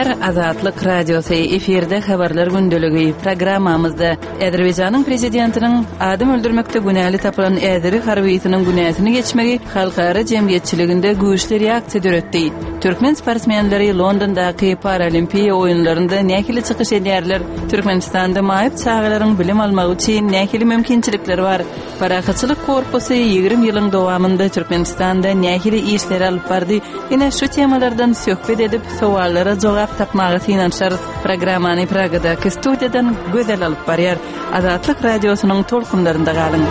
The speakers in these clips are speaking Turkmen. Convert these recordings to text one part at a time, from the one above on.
Gepleýär Azatlyk Radiosy, efirde Habarlar gündeligi. Programmamyzda Azerbaýjanyň prezidentiniň adam öldürmekde günäli tapylan äzeri harbysynyň günäsini geçmegi halkara jemgyýetçiliginde güýçli reaksiýa döretdi. Türkmen sportsmenleri Londondaky Paralimpiýa oýunlarynda nähili çykyş edýärler? Türkmenistanda maýyp çagalaryň bilim almagy üçin nähili mümkinçilikler bar? Parahatçylyk korpusy 20 ýylyň dowamynda Türkmenistanda nähili işleri alyp bardy? Ine şu temalardan söhbet edip, sowallara jogap tapmaga synanyşarys. Programmany Pragadaky studiýadan Gözel alyp barýar. Azatlyk Radiosynyň tolkunlarynda galyň.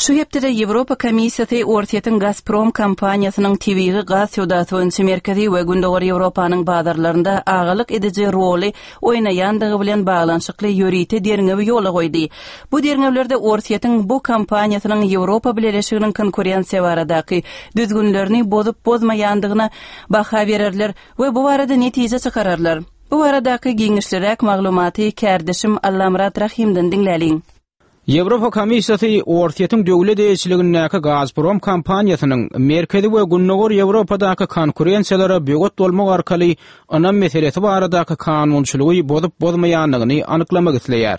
Şu hepdede Ýewropa Komissiýasy Orsýetiň Gazprom kompaniýasynyň tebigy gaz söwdasy boýunça Merkezi we Gündogar Ýewropanyň bazarlarynda agalyk ediji roly oýnaýandygy bilen baglanyşykly ýörite derňewi ýola goýdy. Bu derňewlerde Orsýetiň bu kompaniýasynyň Ýewropa Bileleşiginiň konkurensiýa baradaky düzgünlerini bozup-bozmaýandygyna baha bererler we bu barada netije çykararlar. Bu baradaky giňişliräk maglumaty kärdeşim Allamyrat Rahymdan diňläliň. Ýewropa Komissiýasy Orsýetiň döwlet eýeçiligindäki Gazprom kompaniýasynyň Merkezi we Gündogar Ýewropadaky konkurensiýalara böwet bolmak arkaly ynam meselesi baradaky kanunçylygy bozup-bozmaýandygyny anyklamak isleýär.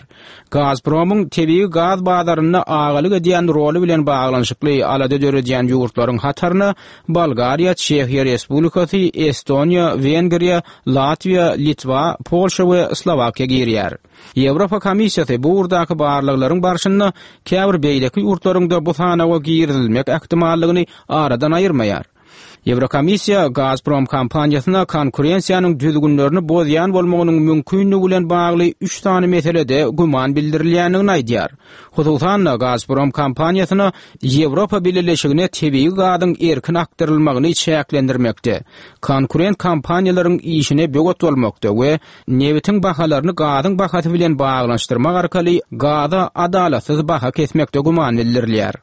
Gazpromyň tebigy gaz bazarynda agalyk edýän roly bilen baglanyşykly alada döredýän ýurtlaryň hataryna Bolgariýa, Çehiýa Respublikasy, Estoniýa, Wengriýa, Latwiýa, Litwa, Polşa we Slowakiýa girýär. Ýewropa Komissiýasy bu ugurdaky barlaglaryň barşynda käbir beýleki ýurtlaryň-da bu sanawa girizilmek ähtimallygyny aradan aýyrmaýar. Ýewrokomissiýa Gazprom kompaniýasyna konkurensiýanyň düzgünlerini bozýan bolmagynyň mümkinligi bilen bagly üç sany meselede güman bildirilýändigini aýdýar. Hususan-da, Gazprom kompaniýasyna Ýewropa Bileleşigine tebigy gazyň erkin akdyrylmagyny çäklendirmekde, konkurent kompaniýalaryň işine böwet bolmakda we Nebitiň bahalaryny gazyň bahasy bilen baglanyşdyrmak arkaly gaza adalatsyz baha kesmekde güman bildirilýär.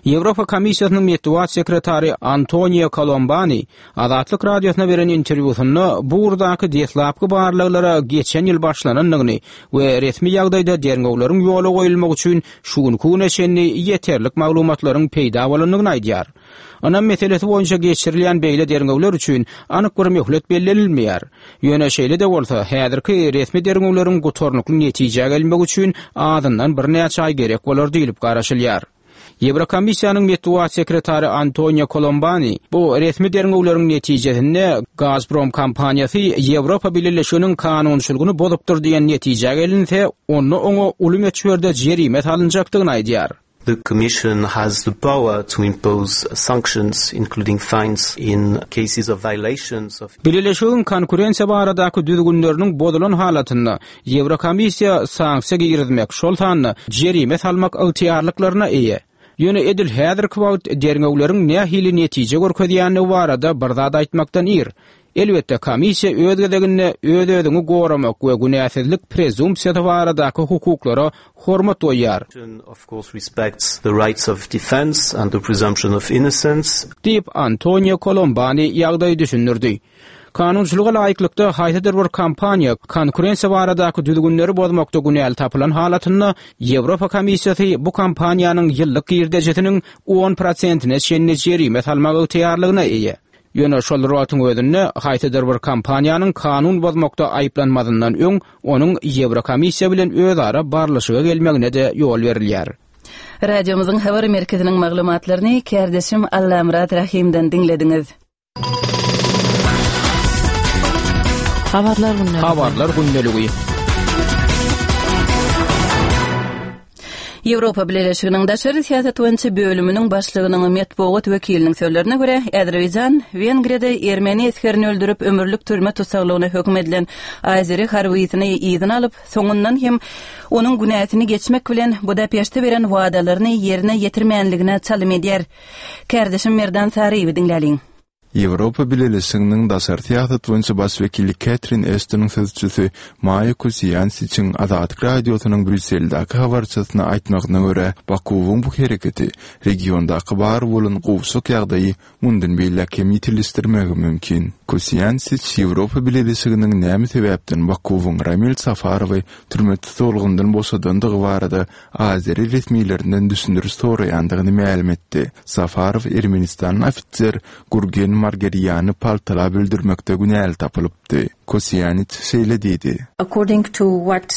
Ýewropa Komissiýasynyň metbugat sekretary Antonio Kolombani Azatlyk Radiosyna beren interwýusynda bu ugurdaky deslapky barlaglara geçen ýyl başlanandygyny we resmi ýagdaýda derňewleriň ýola goýulmagy üçin şu günki güne çenli ýeterlik maglumatlaryň peýda bolandygyny aýdýar. Ynam meselesi boýunça geçirilýän beýle derňewler üçin anyk bir möhlet bellenilmeýär. Ýöne şeýle-de bolsa, häzirki resmi derňewleriň gutarnykly netijä gelmegi üçin azyndan birnäçe aý gerek bolar diýlip garaşylýar. Ýewrokomissiýanyň metbugat sekretary Antonio Kolombani bu resmi derňewleriň netijesinde Gazprom kompaniýasy Ýewropa Bileleşiginiň kanunçylygyny bozupdyr diýen netijä gelinse, onda oňa uly möçberde jerime salynjakdygyny aýdýar. The Commission has the power to impose sanctions, including fines, in cases of violations of. Bileleşigiň konkurensiýa baradaky düzgünleriniň bozulan halatynda Ýewrokomissiýa sanksiýa girizmek, şol sanda jerime salmak ygtyýarlyklaryna eýe. Ýöne edil häzirki wagt derňewleriň nähili netije görkezýändigi barada bir zat aýtmakdan ir. Elbetde, komissiýa öz gezeginde öz-özüňi goramak we günäsizlik prezumpsiýasy baradaky hukuklara hormat goýýar. Diýip, Antonio Kolombani ýagdaýy düşündirdi. Kanunçylyga laýyklykda, haýsydyr bir kompaniýa konkurensiýa baradaky düzgünleri bozmakda günäli tapylan halatynda, Ýewropa Komissiýasy bu kompaniýanyň ýyllyk girdejisiniň on prosentine çenli jerime salmak ygtyýarlygyna eýe. Ýöne şol bir wagtyň özünde, haýsydyr bir kompaniýanyň kanun bozmakda aýyplanmazyndan öň, onuň Ýewrokomissiýa bilen özara barlyşyga gelmegine-de ýol berilýär. Radiomyzyň habar merkeziniň maglumatlaryny kärdeşim Allamyrat Rahymdan diňlediňiz. Habarlar gündeligi. Habarlar gündeligi. Ýewropa Bileleşiginiň daşary syýasat boýunça bölüminiň başlygynyň metbugat wekiliniň sözlerine görä, Azerbaýjan Wengriýada ermeni esgerini öldürip, ömürlik türme tussaglygyna höküm edilen azeri harbysyny yzyna alyp, soňundan hem onuň günäsini geçmek bilen Budapeşte beren wadalaryny ýerine ýetirmänligine çalym edýär. Kärdeşim Merdan Saryýewi diňläliň. Ýewropa Bileleşiginiň daşary syýasat boýunça baş wekili Ketrin Eştonyň sözçüsi Maýa Kosiýansiçiň Azatlyk Radiosynyň Brýusseldäki habarçysyna aýtmagyna görä, Bakuwyň bu hereketi regiondaky bar bolan gowşak ýagdaýy mundan beýläk hem ýitileşdirmegi mümkin. Kosiýansiç Ýewropa Bileleşiginiň näme sebäpden Bakuwyň Ramil Safarowy türme tussaglygyndan boşadandygy barada azeri resmilerinden düşündiriş soraýandygyny mälim etdi. Safarow ermenistanly ofiser Gurgen Margerýany paltalap öldürmekde günäli tapylypdy. Kosiýaniç şeýle diýdi. According to what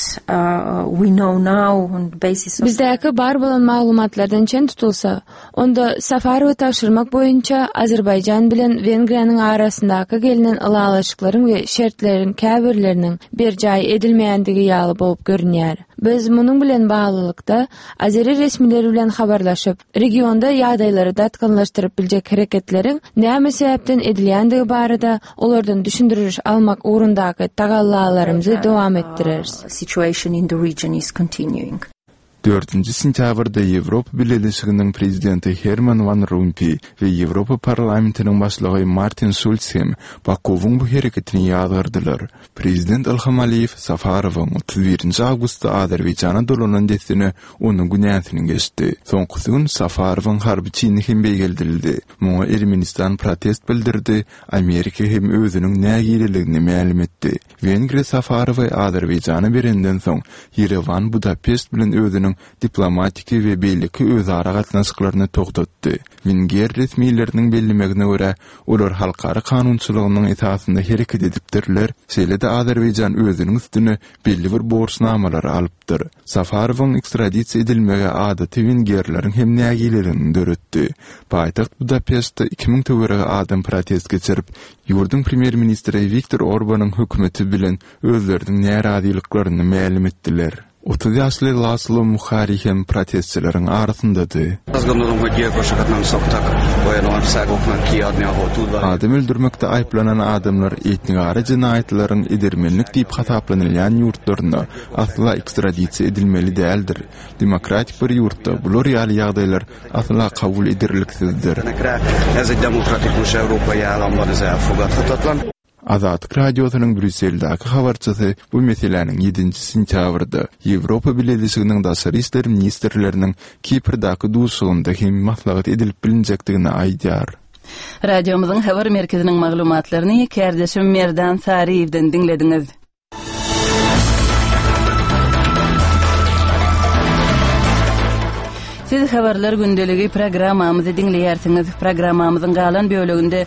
we know now on the basis of. Bizdäki bar bolan maglumatlardan çen tutulsa, onda Safarowy tabşyrmak boýunça Azerbaýjan bilen Wengriýanyň arasyndaky gelnen ylalaşyklaryň we şertleriň käbirleriniň berjaý edilmeýändigi ýaly bolup görünýär. Biz munuň bilen baglylykda, azeri resmileri bilen habarlaşyp, regionda ýagdaýlary dartgynlaşdyryp biljek hereketleriň näme sebäpden edilýändigi barada olardan düşündiriş almak ugrundaky tagallalarymyzy dowam etdireris. Situation in the region is continuing. Dördünji sentýabrda Ýewropa Bileleşiginiň Prezidenti Herman Wan Rompuý we Ýewropa Parlamentiniň başlygy Martin Şulz hem Bakuwyň bu hereketini ýazgardylar. Prezident Ilham Aliýew Safarowyň 31 nji awgustda Azerbaýjana dolanan dessine onuň günäsini geçdi. Soňkusy gün Safarowyň harby çini hem beýgeldildi. Muňa Ermenistan protest bildirdi, Amerika hem özüniň nägileligini mälim etdi. Wengriýa Safarowy Azerbaýjana berenden soň, Ýerewan Budapeşt bilen özüniň diplomatiki we beýleki özara gatnaşyklaryny togtatdy. Wenger resmileriniň bellemegine görä, olar halkara kanunçylygynyň esasynda hereket edipdirler, şeýle-de Azerbaýjan özüniň üstüne belli bir borçnamalary alypdyr. Safarowyň ekstradisiýa edilmegi adaty wengerleriň hem nägileligini döretdi. Paýtagt Budapeştde 2000 töweregi adam protest geçirip, ýurduň premýer-ministri Wiktor Orbanyň hökümeti bilen özleriniň närazylyklaryny mälim etdiler. 30 ýaşly Laslo Muhari hem protestçileriň arasyndady. Adam öldürmekde aýyplanan adamlar etnigara jenaýatlaryň edermenlik diýip hasaplanylýan ýurtlarynda asla ekstradisiýa edilmeli däldir. Demokratik bir ýurtda bular ýaly ýagdaýlar asla kabul ederliksizdir. Azatlyk Radiosynyň Brýusseldäki habarçysy bu meseläniň ýedinji sentýabrda Ýewropa Bileleşiginiň daşary işler ministrleriniň Kiprdäki duşuşygynda hem maslahat edilip bilinjekdigini aýdýar. Radiomyzyň habar merkeziniň maglumatlaryny kärdeşim Merdan Saryýewden diňlediňiz. Siz Habarlar gündeligi programmamyzy diňleýärsiňiz. Programmamyzyň galan böleginde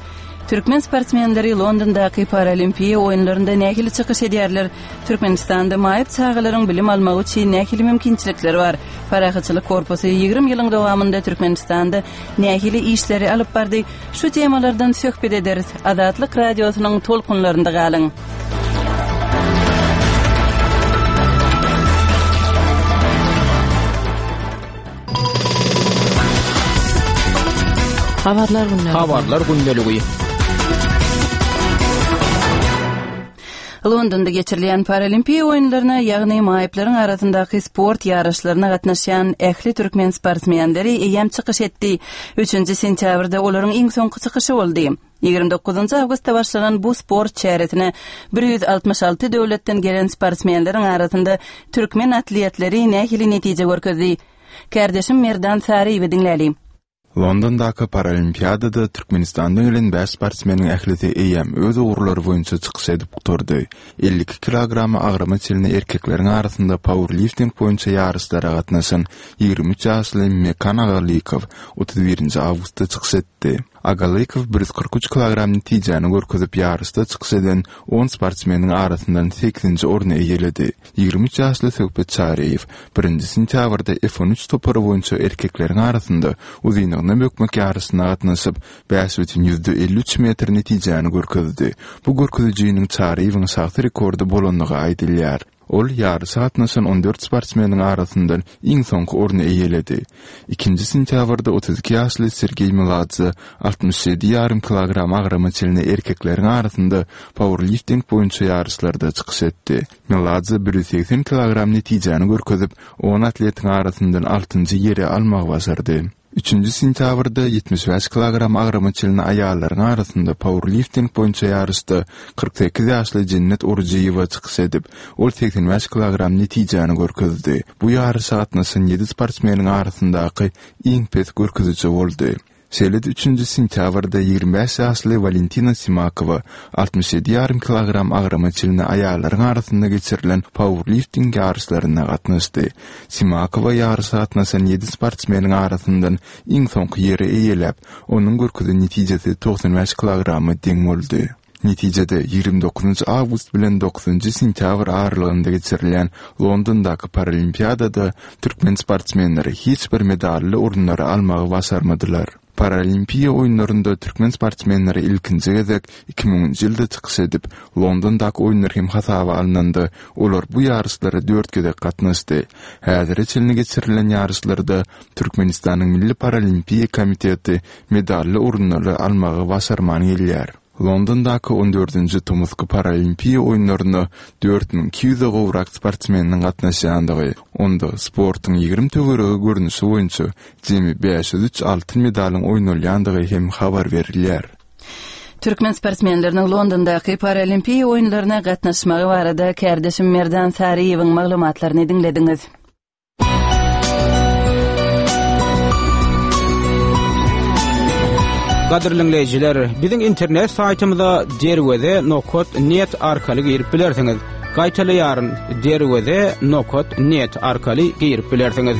türkmen sportsmenleri Londondaky Paralimpiýa oýunlarynda nähili çykyş edýärler, Türkmenistanda maýyp çagalaryň bilim almagy üçin nähili mümkinçilikler bar, Parahatçylyk korpusy 20 ýylyň dowamynda Türkmenistanda nähili işleri alyp bardy, Şu temalardan söhbet ederis. Azatlyk Radiosynyň tolkunlarynda galyň. Habarlar gündeligi. Habarlar gündeligi. Londonda geçirilýän Paralimpiýa oýunlaryna, ýagny maýyplaryň arasyndaky sport ýaryşlaryna gatnaşýan ähli türkmen sportsmenleri eýýäm çykyş etdi. Üçünji sentýabrda olaryň iň soňky çykyşy boldy. 29 awgustda başlanan bu sport çäresine 166 döwletden gelen sportsmenleriň arasynda türkmen atletleri nähili netije görkezdi? Kärdeşim Merdan Saryýewi diňläliň. Londondaky Paralimpiadada Türkmenistandan gelen bäş sportsmeniň ählisi eýýäm öz ugurlary boýunça çykyş edip gutardy. 52 kilogram agrama çenli erkekleriň arasynda pauerlifting boýunça ýaryşlara gatnaşan 23 ýaşly Mekan Agalykow 31-nji awgustda çykyş etdi. Agalykow 143 kilogram netijäni görkezip ýaryşda çykyş eden on sportsmeniň arasyndan sekizinji orny eýeledi. 23 ýaşly Söhbet Çaryýew birinji sentýabrda F on üç topary boýunça erkekleriň arasynda uzynlygyna bökmek ýaryşyna gatnaşyp, 5,53 metr netijäni görkezdi. Bu görkezijiniň Çaryýewiň şahsy rekordy bolandygy aýdylýar. Ol ýaryşa gatnaşan on dört sportsmeniň arasyndan iň soňky orny eýeledi. Ikinji sentýabrda 32 ýaşly Sergeý Meladze 67 ýarym kilogram agrama çenli erkekleriň arasynda pauerlifting boýunça ýaryşlarda çykyş etdi. Meladze 180 kilogram netijäni görkezip, on atletiň arasyndan altynjy ýeri almagy başardy. Üçünji sentýabrda 75 kilogram agrama çenli aýallaryň arasynda pauerlifting boýunça ýaryşda 48 ýaşly Jennet Orujyýewa çykyş edip, ol 85 kilogram netijäni görkezdi. Bu ýaryşa gatnaşan ýedi sportsmeniň arasyndaky iň pes görkeziji boldy. Şeýle-de üçünji sentýabrda 25 ýaşly Walentina Simakowa 67 ýarym kilogram agrama çenli aýallaryň arasynda geçirilen pauerlifting ýaryşlaryna gatnaşdy. Simakowa ýaryşa gatnaşan ýedi sportsmeniň arasyndan iň soňky ýeri eýeläp, onuň görkezen netijesi 95 kilograma deň boldy. Netijede, 29 awgust bilen dokuzynjy sentýabr aralygynda geçirilýän Londondaky Paralimpiadada türkmen sportsmenleri hiç bir medally orunlary almagy başarmadylar. Paralimpiýa oýunlarynda türkmen sportsmenleri ilkinji gezek 2000-nji ýylda çykyş edip, Londondaky oýunlar hem hasaba alnanda, olar bu ýaryşlara dört gezek gatnaşdy. Häzire çenli geçirilen ýaryşlarda Türkmenistanyň Milli paralimpiýa komiteti medally orunlary almagy başarman gelýär. Londondaky on dördünji tomusky Paralimpiýa oýunlaryna 4200 gowrak sportsmeniň gatnaşýandygy, onda sportuň 20 töweregi görnüşi boýunça jemi 503 altyn medalyň oýnalýandygy hem habar berilýär. Türkmen sportsmenleriniň Londondaky Paralimpiýa oýunlaryna gatnaşmagy barada kärdeşim Merdan Saryýewiň maglumatlaryny diňlediňiz. Gadyrly diňleýjiler, biziň internet saýtymyza derweze nokat net arkaly girip bilersiňiz. Gaýtalaýaryn, derweze nokat net arkaly girip bilersiňiz.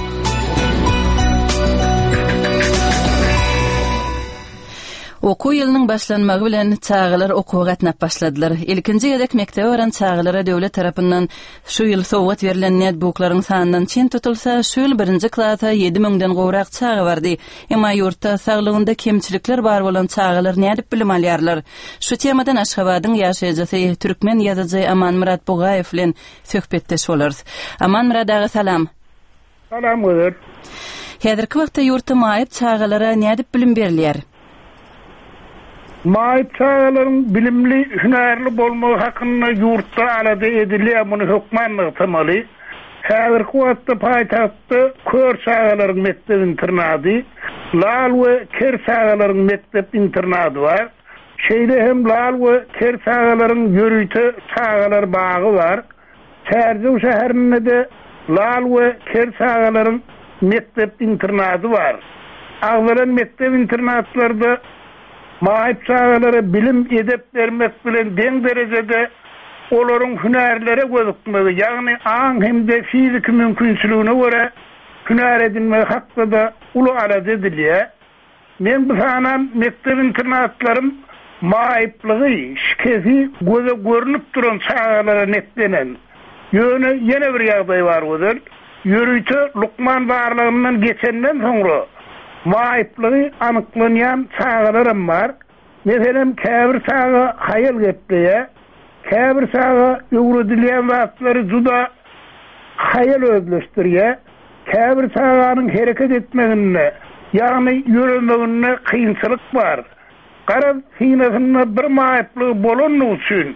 Okuw ýylynyň başlanmagy bilen çagalar okuwa gatnap başladylar. Ilkinji gezek mekdebe baran çagalara döwlet tarapyndan Şu ýyl sowgat berlen netbuklaryň sanyndan çen tutulsa, şu ýyl birinji klasa ýedi müňden gowrak çaga bardy. Emma ýurtda saglygynda kemçilikler bar bolan çagalar nädip bilim alýarlar? Şu temadan Aşgabadyň ýaşaýjysy, türkmen ýazyjy Amanmyrat Bugaýew bilen söhbetdeş bolarys. Amanmyrat aga salam. Salam Gözel. Häzirki wagtda ýurtda maýyp çagalara nädip bilim berilýär? Maýyp çagalaryň bilimli, hünärli bolmagy hakynda ýurtda alada edilýär, muny hökman nygtamaly. Häzirki wagtda paýtagtda kör çagalaryň mekdep-internady, lal we ker çagalaryň mekdep-internady bar. Şeýle hem lal we ker çagalaryň ýörite çagalar bagy bar. Çärjew şäherinde-de lal we ker çagalaryň mekdep-internady bar. Agzalan mekdep-internatlarda maýyp çagalara bilim, edep bermek bilen deň derejede olaryň hünärlere gözükmegi, ýagny aň hem-de fiziki mümkinçiligine görä hünär edinmegi hakda-da uly alada edilýär. Men bu sanan mekdep-internatlarym maýyplygy, şikesi göze görnüp duran çagalara netlenen. Ýöne ýene bir ýagdaý bar Gözel, ýörite lukman barlagyndan geçenden soňra maýyplygy anyklanýan çagalaram bar. Meselem, käbir çaga haýal gepleýär, käbir çaga öwredilýän zatlary juda haýal özleşdirýär, käbir çaganyň hereket etmeginde, ýagny ýöremeginde kynçylyk bar. Garaz, synasynda bir maýyplygy bolandygy üçin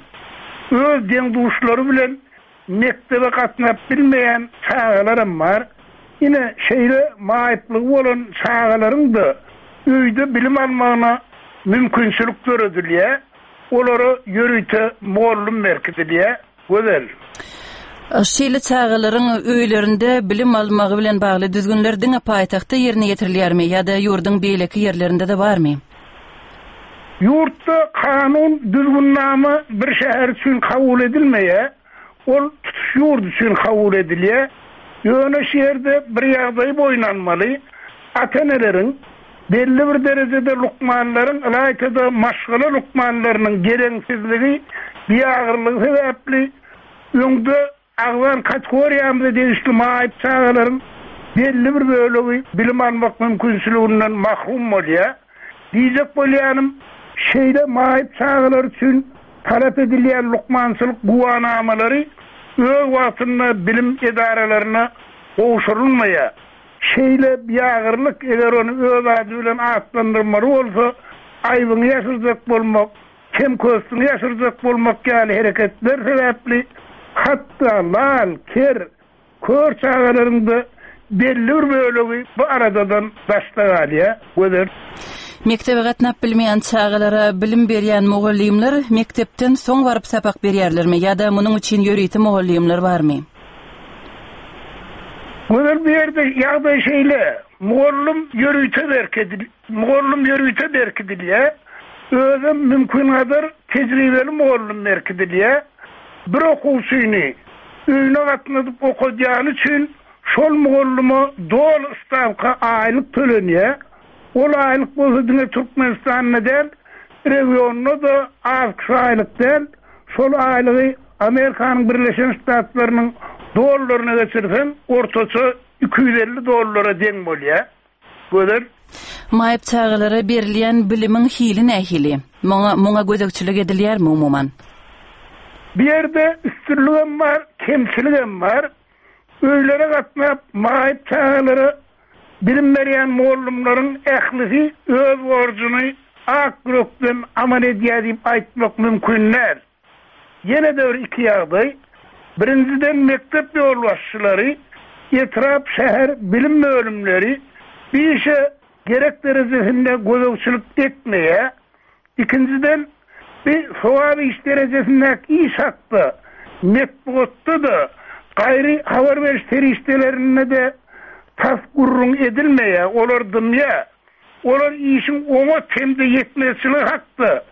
öz deň-duşlary bilen Mekdebe gatnap bilmeýän çagalaram bar. Ine, şeýle maýyplygy bolan çagalaryň-da öýde bilim almagyna mümkinçilik döredilýär. Olara ýörite mugallym berkidilýär. Gözel. Şeýle çagalaryň öýlerinde bilim almagy bilen bagly düzgünler diňe paýtagtda ýerine ýetirilýärmi ýa-da ýurduň beýleki ýerlerinde-de barmy? Ýurtda kanun, düzgünnama bir şäher üçin kabul edilmeýär, ol tutuş ýurt üçin kabul edilýär. Ýöne şu ýerde bir ýagdaýy boýun almaly, ata-eneleriň, belli bir derejede lukmanlaryň, ylaýta-da maşgala lukmanlarynyň geleňsizligi, biagyrlygy sebäpli öňde Agzan kategoriýamyza degişli maýyp çagalaryň belli bir bölegi bilim almak mümkinçiliginden mahrum bolýar. Diýjek bolýanym, şeýle maýyp çagalar üçin talap edilýän lukmançylyk güwänamalary öz wagtynda bilim edaralaryna gowşurylmaýar. Şeýle biagyrlyk, eger ony öz ady bilen atlandyrmaly bolsa, aýbyňy ýaşyrjak bolmak, kem-köstüňi ýaşyrjak bolmak ýaly hereketler sebäpli hatda lal, ker, kör çagalaryň-da belli bir bölegi bu aladadan daşda galýar. Gözel. Mekdebe gatnap bilmeýän çagalara bilim berýän mugallymlar mekdepden soň baryp sapak berýärlermi ýa-da munuň üçin ýörite mugallymlar barmy? Gözel bu ýerde ýagdaý şeýle, mugallym ýörite berkedil mugallym ýörite berkidilýär, özem mümkingadar tejribeli mugallym berkidilýär. Bir okuwçyny öýüne gatnadyp okadýany üçin Şol mugallyma doly stawka aýlyk tölenýär. Ol aýlyk bolsa diňe Türkmenistanda däl, regionda-da az-küş aýlyk däl. Şol aýlygy Amerikanyň Birleşen Ştatlarynyň dollaryna geçirseň, ortaça 250 dollara deň bolýar. Gözel. Maýyp çagalara berilýän bilimiň hili nähili? Muňa muňa gözegçilik edilýärmi umuman? Bu ýerde üstünligem bar, kemçiligem bar. Öýlere gatnap, maýyp çagalara bilim berýän mugallymlaryň ählisi öz borjuny ak ýürekden amal edýär diýip aýtmak mümkin däl. Ýene-de bir iki ýagdaý, birinjiden, mekdep ýolbaşçylary, etrap, şäher bilim bölümleri bu işe gerek derejesinde gözegçilik etmeýär. Ikinjiden, bu sogap iş derejesindäki iş hakda metbugatda-da, gaýry habar beriş serişdelerinde-de tas gürrüň edilmeýär, olar dymýar. Olar işiň oňat hem-de ýetmezçiligi hakda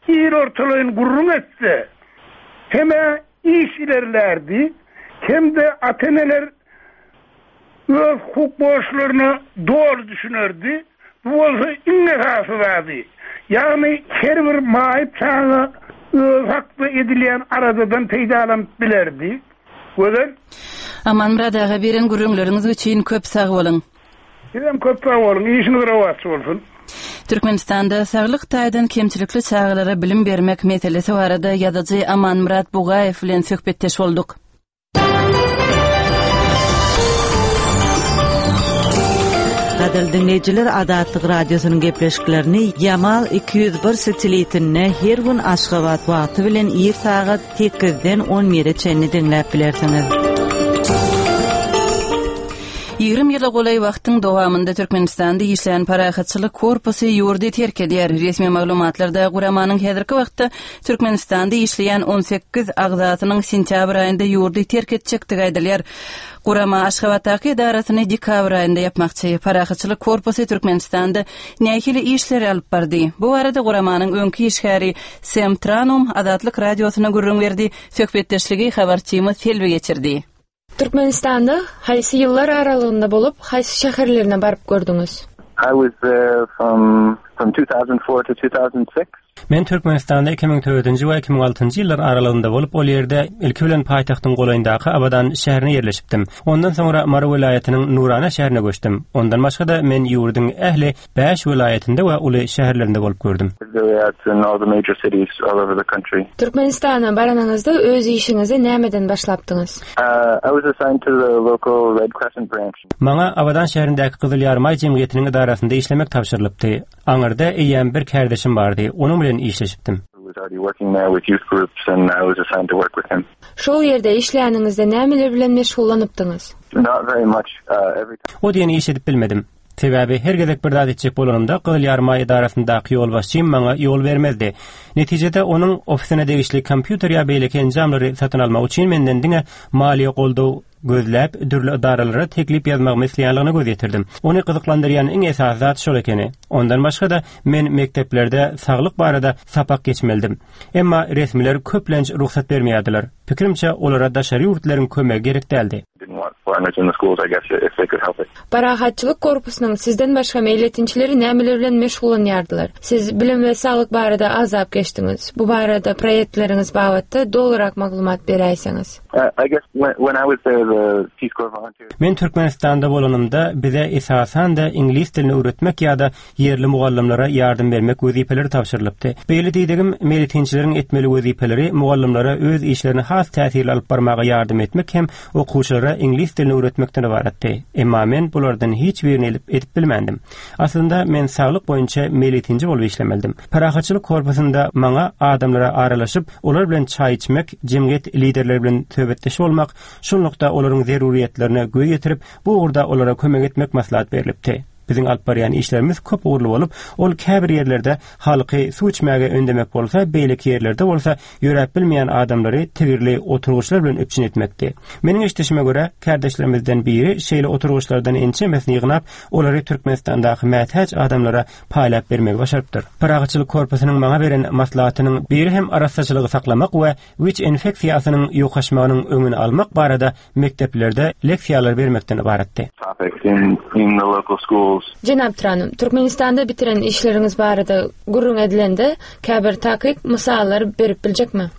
il ortalaýyn gürrüň etse, hem-ä iş ilerlärdi, hem-de ata-eneler öz hukuk borçlaryna doly düşünerdi. Bu bolsa iň esasy zady, ýagny her bir maýyp çaga özi hakda edilýän aladadan peýdalanyp bilerdi. Gözel. Amanmyrat aga beren gürrüňleriňiz üçin köp sag boluň. Sizem köp sag boluň, işiňiz rowaç bolsun. Türkmenistanda saglyk taýdan kemçilikli çagalara bilim bermek meselesi barada ýazyjy Amanmyrat Bugaýew bilen söhbetdeş bolduk. Gadyrly diňleýjiler, Azatlyk Radiosynyň gepleşiklerini Ýamal 201 satelitinde her gün Aşgabat wagty bilen ir sagat sekizden on bire çenli diňläp bilersiňiz. 20 ýyla golaý wagtyň dowamynda Türkmenistanda işlän Parahatçylyk korpusy ýurdy terk edýär. Resmi maglumatlarda guramanyň häzirki wagtda Türkmenistanda işleýän 18 agzasynyň sentýabr aýynda ýurdy terk etjekdigi aýdylýar. Gurama Aşgabatdaky edarasyny dekabr aýynda ýapmakçy. Parahatçylyk korpusy Türkmenistanda nähili işleri alyp bardy? Bu barada guramanyň öňki işgäri Sem Tranum Azatlyk Radiosyna gürrüň berdi. Söhbetdeşligi habarçymyz Selbi geçirdi. Türkmenistanda haýsy ýyllar aralygynda bolup, haýsy şäherlerine baryp gördüňiz? I was there from from 2004 to 2006. Men Türkmenistanda 2004-nji we 2006-njy ýyllar aralygynda bolup, ol ýerde ilki bilen paýtagtyň golaýyndaky Abadan şäherine ýerleşipdim. Ondan soňra Mary welaýatynyň Nurana şäherine göçdüm. Ondan başga-da men ýurduň ähli Bäş welaýatynda we uly şäherlerinde bolup gördüm. Türkmenistana baranyňyzda öz işiňizi nämeden başlapdyňyz? Maňa Abadan şäherindäki Gyzyl Ýarymaý jemgyýetiniň edarasynda işlemek tabşyrylypdy. Aňyrda eýýäm bir kärdeşim bardy, onuň bilen işleşipdim. Şol ýerde işläniňizde nämeler bilen meşgullanypdyňyz? O diýen iş edip bilmedim. Sebäbi her gezek bir zat etjek bolanymda Gyzyl Ýarymaý edarasyndaky ýolbaşçym maňa ýol bermezdi. Netijede onuň ofisine degişli kompýuter ýa beýleki enjamlary satyn almak üçin menden diňe maliýe goldaw gözläp, dürli edaralara teklip ýazmagymy isleýänligine göz ýetirdim. Ony gyzyklandyrýan iň esasy zat şol ekeni. Ondan başga-da men mekdeplerde saglyk barada sapak geçmelidim. Emma resmiler köplenç rugsat bermeýärdiler. Pikirimçe, olara daşary ýurtlylaryň kömegi gerek däldi. Parahatçylyk korpusynyň sizden başga meýletinçileri nämeler bilen meşgullanýardylar? Siz bilim we saglyk barada agzap geçdiňiz. Bu barada proýektleriňiz babatda dolurak maglumat beräýseňiz. Men Türkmenistanda bolanymda bize esasan-da iňlis dilini öwretmek ýa-da ýerli mugallymlara ýardam bermek wezipeleri tabşyrylypdy. Beýle diýdigim, meýletinçileriň etmeli wezipeleri mugallymlara öz işlerini has täsirli alyp barmaga ýardam etmek hem okuwçylara iňlis dilini. dilini öwretmekden ybaratdy. Emma men bulardan hiç birini elip edip bilmändim. Aslynda men saglyk boýunça meýletinji bolup işlemelidim. Parahatçylyk korpusynda maňa adamlara aralaşyp, olar bilen çaý içmek, jemgyýet liderleri bilen söhbetdeş bolmak, şunlukda olaryň zeruryýetlerine göz ýetirip, bu ugurda olara kömek etmek maslahat berlipdi. Biziň alyp barýan işlerimiz köp ugurly bolup, ol käbir ýerlerde halky suw içmäge ündemek bolsa, beýleki ýerlerde bolsa ýöräp bilmeýän adamlary tigirli oturgyçlar bilen üpjün etmekdi. Meniň eşidişime görä, kärdeşlerimizden biri şeýle oturgyçlardan ençemesini ýygnap, olary Türkmenistandaky mätäç adamlara paýlap bermegi başarypdyr. Parahatçylyk korpusynyň maňa beren maslahatynyň biri hem arassaçylygy saklamak we wiç infeksiýasynyň ýokaşmagynyň öňüni almak barada mekdeplerde leksiýalar bermekden ybaratdy. Jenap Tranum, Türkmenistanda bitiren işleriňiz barada gürrüň edilende, käbir takyk mysallar berip biljekmi?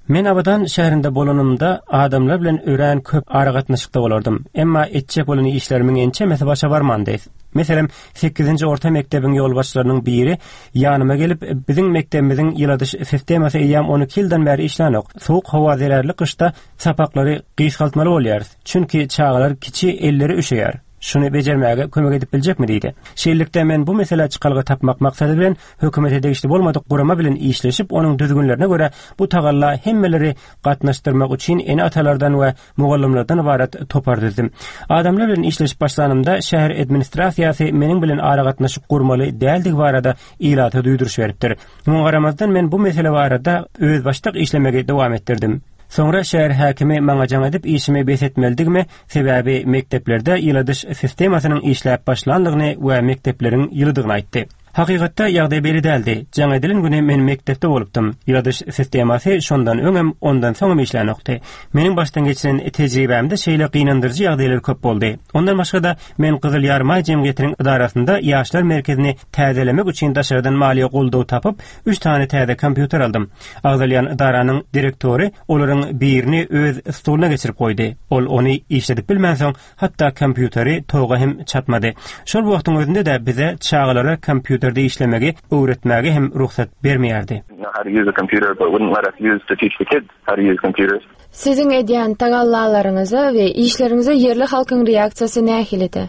Men Abadan şäherinde bolanymda adamlar bilen örän köp aragatnaşykda bolardym. Emma etjek bolan işlerimiň ençemesi başa barmandy. Meselem, sekizinji orta mekdebiň ýolbaşçylarynyň biri ýanyma gelip, biziň mekdebimiziň ýyladyş sistemasy eýýäm 12 ýyldan bäri işlänok. Sowuk howa zerarly gyşda sapaklary gysgaltmaly bolýarys. Çünki çagalar kiçi, elleri üşeýär. Şuny bejermäge kömek edip biljekmi diýdi. Şeýlelikde, men bu meselä çykalga tapmak maksady bilen hökümete degişli bolmadyk gurama bilen işleşip, onuň düzgünlerine görä bu tagalla hemmeleri gatnaşdyrmak üçin ene-atalardan we mugallymlardan ybarat topar düzdüm. Adamlar bilen işleşip başlanymda şäher administrasiýasy meniň bilen aragatnaşyk gurmaly däldigi barada ilata duýduryş beripdir. Muňa garamazdan men bu mesele barada özbaşdak işlemegi dowam etdirdim. Soňra şäher häkimi maňa jaň edip işimi bes etmelidigimi, sebäbi mekdeplerde ýyladyş sistemasynyň işläp başlandygyny we mekdepleriň ýylydygyny aýtdy. Hakykatda ýagdaý beýle däldi. Jaň edilen güni men mekdepde bolupdym. Ýyladyş sistemasy şondan öňem, ondan soňam işlänokdy. Meniň başdan geçiren tejribämde şeýle gynandyryjy ýagdaýlar köp boldy. Ondan başga-da, men Gyzyl Ýarymaý jemgyýetiniň ydarasynda ýaşlar merkezini täzelemek üçin daşardan maliýe goldaw tapyp, üç sany täze kompýuter aldym. Agzalýan ydaranyň direktory olaryň birini öz stoluna geçirip goýdy. Ol ony işledip bilmänsoň, Hatda kompýuteri toga hem çatmady. Şol wagtyň özünde-de bize çagalara kompýuterde işlemegi öwretmäge hem rugsat bermeýärdi. Siziň edýän tagallalaryňyza we işleriňize ýerli halkyň reaksiýasy nähilidi?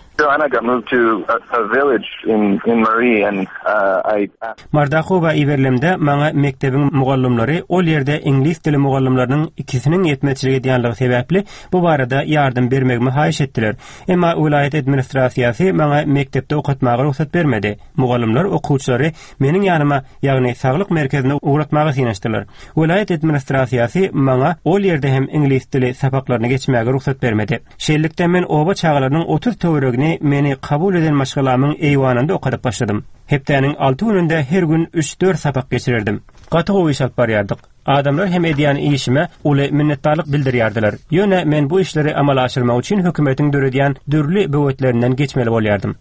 Mardakowa iberilemde maňa mekdebiň mugallymlary ol ýerde iňlis dili mugallymlarynyň ikisiniň ýetmezçilik edýänligi sebäpli Bu barada ýardam bermegimi haýyş etdiler. Emma welaýat administrasiýasy maňa mekdepde okatmaga rugsat bermedi. Mugallymlar okuwçylary meniň ýanyma, ýagny saglyk merkezine ugratmaga synanyşdylar. Welaýat administrasiýasy maňa ol ýerde hem iňlis dili sapaklaryny geçmäge rugsat bermedi. Şeýlelikde, men oba çagalarynyň 30 töweregini meni kabul eden maşgalamyň eýwanynda okadyp başladym. Hepdäniň alty gününde her gün üç-dört sapak geçirerdim. Gaty gowy iş alyp barýardyk. Adamlar hem edýän işime uly minnetdarlyk bildirýärdiler. Ýöne men bu işleri amala aşyrmak üçin hökümetiň döredýän dürli böwetlerinden geçmeli bolýardym.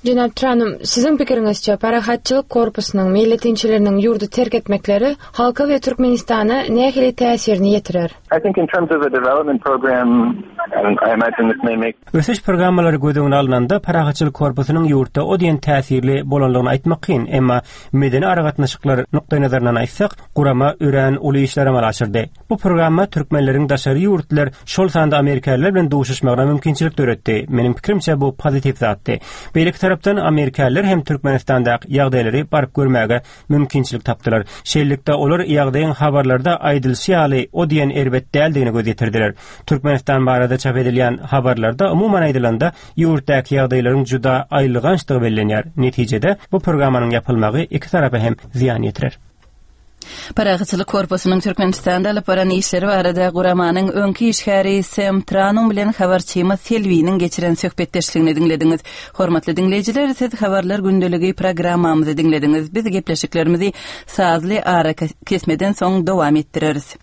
Jenap Tranum, siziň pikiriňizçe, Parahatçylyk korpusynyň meýletinçileriniň ýurdy terk etmekleri halka we Türkmenistana nähili täsirini ýetirer? Ösüş programmalary göz öňüne alnanda, Parahatçylyk korpusynyň ýurtda o diýen täsirli bolanlygyny aýtmak kyn, emma medeni aragatnaşyklar nukdaýnazaryndan aýtsak, gurama örän uly işleri amala aşyrdy. Bu programma türkmenleriň daşary ýurtlylar, şol sanda amerikalylar bilen duşuşmagyna mümkinçilik döretdi. Meniň pikirimçe, bu pozitiw zatdy. Beýleki tarapdan, amerikalylar hem Türkmenistandaky ýagdaýlary baryp görmäge mümkinçilik tapdylar. Şeýlelikde, olar ýagdaýyň habarlarda aýdylyşy ýaly o diýen erbet däldigine göz ýetirdiler. Türkmenistan barada çap edilýän habarlarda, umuman aýdylanda, ýurtdaky ýagdaýlaryň juda aýylgançdygy bellenýär. Netijede, bu programmanyň ýapylmagy iki tarapa hem zyýan ýetirer. Parahatçylyk korpusynyň Türkmenistanda alyp baran işleri barada guramanyň öňki işgäri Sem Tranum bilen habarçymyz Selbiniň geçiren söhbetdeşligini diňlediňiz. Hormatly diňleýjiler, siz Habarlar gündeligi programmamyzy diňlediňiz. Biz gepleşiklerimizi sazly arakesmeden soň dowam etdireris.